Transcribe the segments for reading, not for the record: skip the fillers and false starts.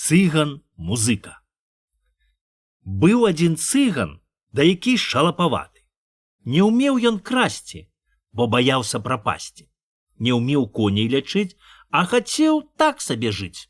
Цыган-музыка. Быў адзін цыган, да які шалапаваты. Не ўмеў ён красці, бо баяўся прапасці. Не ўмеў коней лячыць, а хацеў так сабе жыць.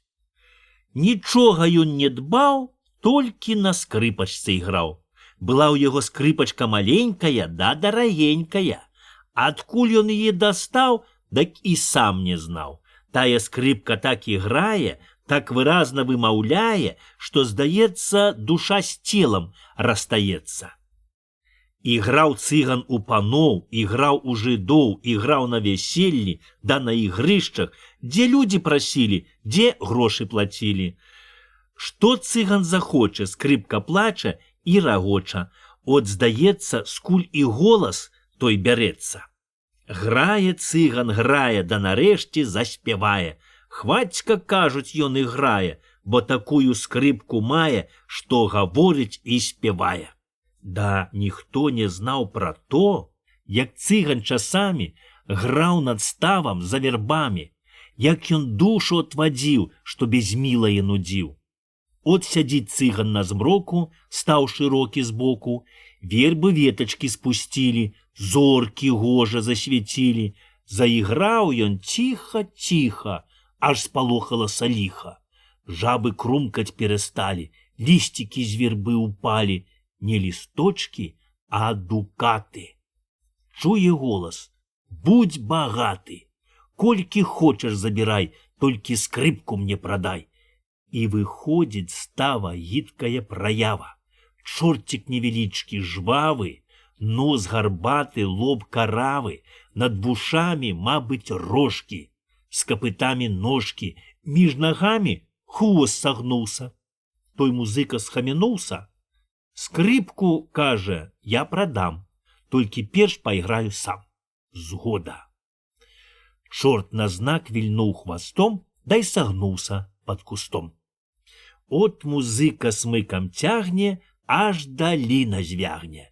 Нічога ён не дбаў, толькі на скрыпачцы іграў. Была ў яго скрыпачка маленькая да дарагенькая. Адкуль ён яе дастаў, дак і сам не знаў. Тая скрыпка так іграе, так выразна вымаўляе, што, здаецца, душа з целам расстаецца. Іграў цыган у паноў, іграў у жыдоў, іграў на вяселлі, да на ігрышчах, дзе людзі прасілі, дзе грошы плацілі. Што цыган захоча, скрыпка плача і рагоча. От, здаецца, скуль і голас той бярэцца. Грае цыган, грае, да нарэшце заспявае. Хвацька, кажуць, ён іграе, бо такую скрыпку мае, што гаворыць і спявае. Да ніхто не знаў пра то, як цыган часамі граў над ставам за вербамі, як ён душу отвадзіў, што без мілае нудзіў. От сядзіць цыган на змроку, стаў шырокі збоку, вербы ветачкі спусцілі, зоркі гожа засвяцілі. Заіграў ён ціха-ціха, аж спалохалася ліха. Жабы крумкаць перасталі, лісцікі з вербы ўпалі, не лісточкі, а дукаты. Чуе голас: будь багаты, колькі хочаш забірай, толькі скрыпку мне прадай. І выходзіць става гідкая праява. Чорцік невялічкі, жвавы, нос гарбаты, лоб каравы, над вушамі, мабыць, рожкі, з капытамі ножкі, між нагамі хвост сагнуўся. Той музыка схамянуўся. Скрыпку, кажа, я прадам, толькі перш пайграю сам. Згода. Чорт на знак вільнуў хвастом, дай сагнуўся пад кустом. От музыка смыкам цягне, аж даліна звягне.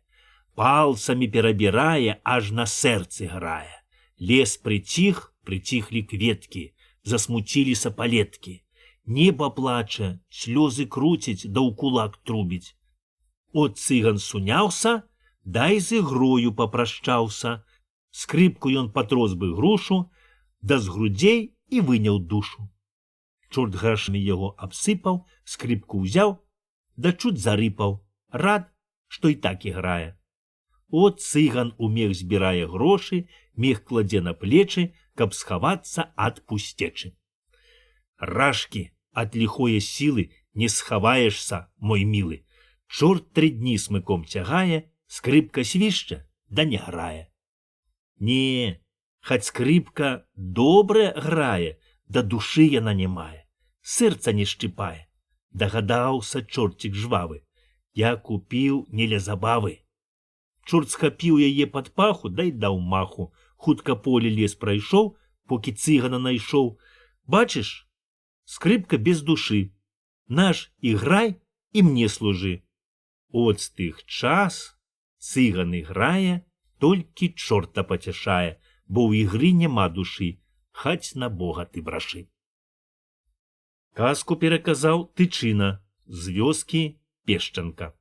Палцамі перабірае, аж на сэрцы грае. Лес прыціх, прыціхлі кветкі, засмуціліся палеткі. Неба плача, слёзы круціць, да ў кулак трубіць. От цыган суняўся, дай з ігрою папрашчаўся. Скрыпку ён патрос бы грушу, да з грудзей і выняў душу. Чорт грашамі яго абсыпаў, скрыпку ўзяў, да чуць зарыпаў, рад, што і так іграе. От цыган у мех збірае грошы, мех кладзе на плечы, каб схавацца ад пусцечы. Рашкі, ад ліхое сілы не схаваешся, мой мілы. Чорт 3 дні смыком цягае, скрыпка свішча, да не грае. Не, хаць скрыпка добра грае, да душы яна не мае, сэрца не шчыпае. Дагадаўся чорцік жвавы, я купіў не ля забавы. Чорт схапіў яе пад паху, дай даў маху. Хутка поле лес прайшоў, покі цыгана найшоў. Бачыш, скрыпка без душы. Наш іграй і мне служы. От з тых час цыган іграе, толькі чорта пацяшае, бо ў ігры няма душы, хаць на Бога ты брашы. Казку пераказаў Тычына з вёскі Пешчанка.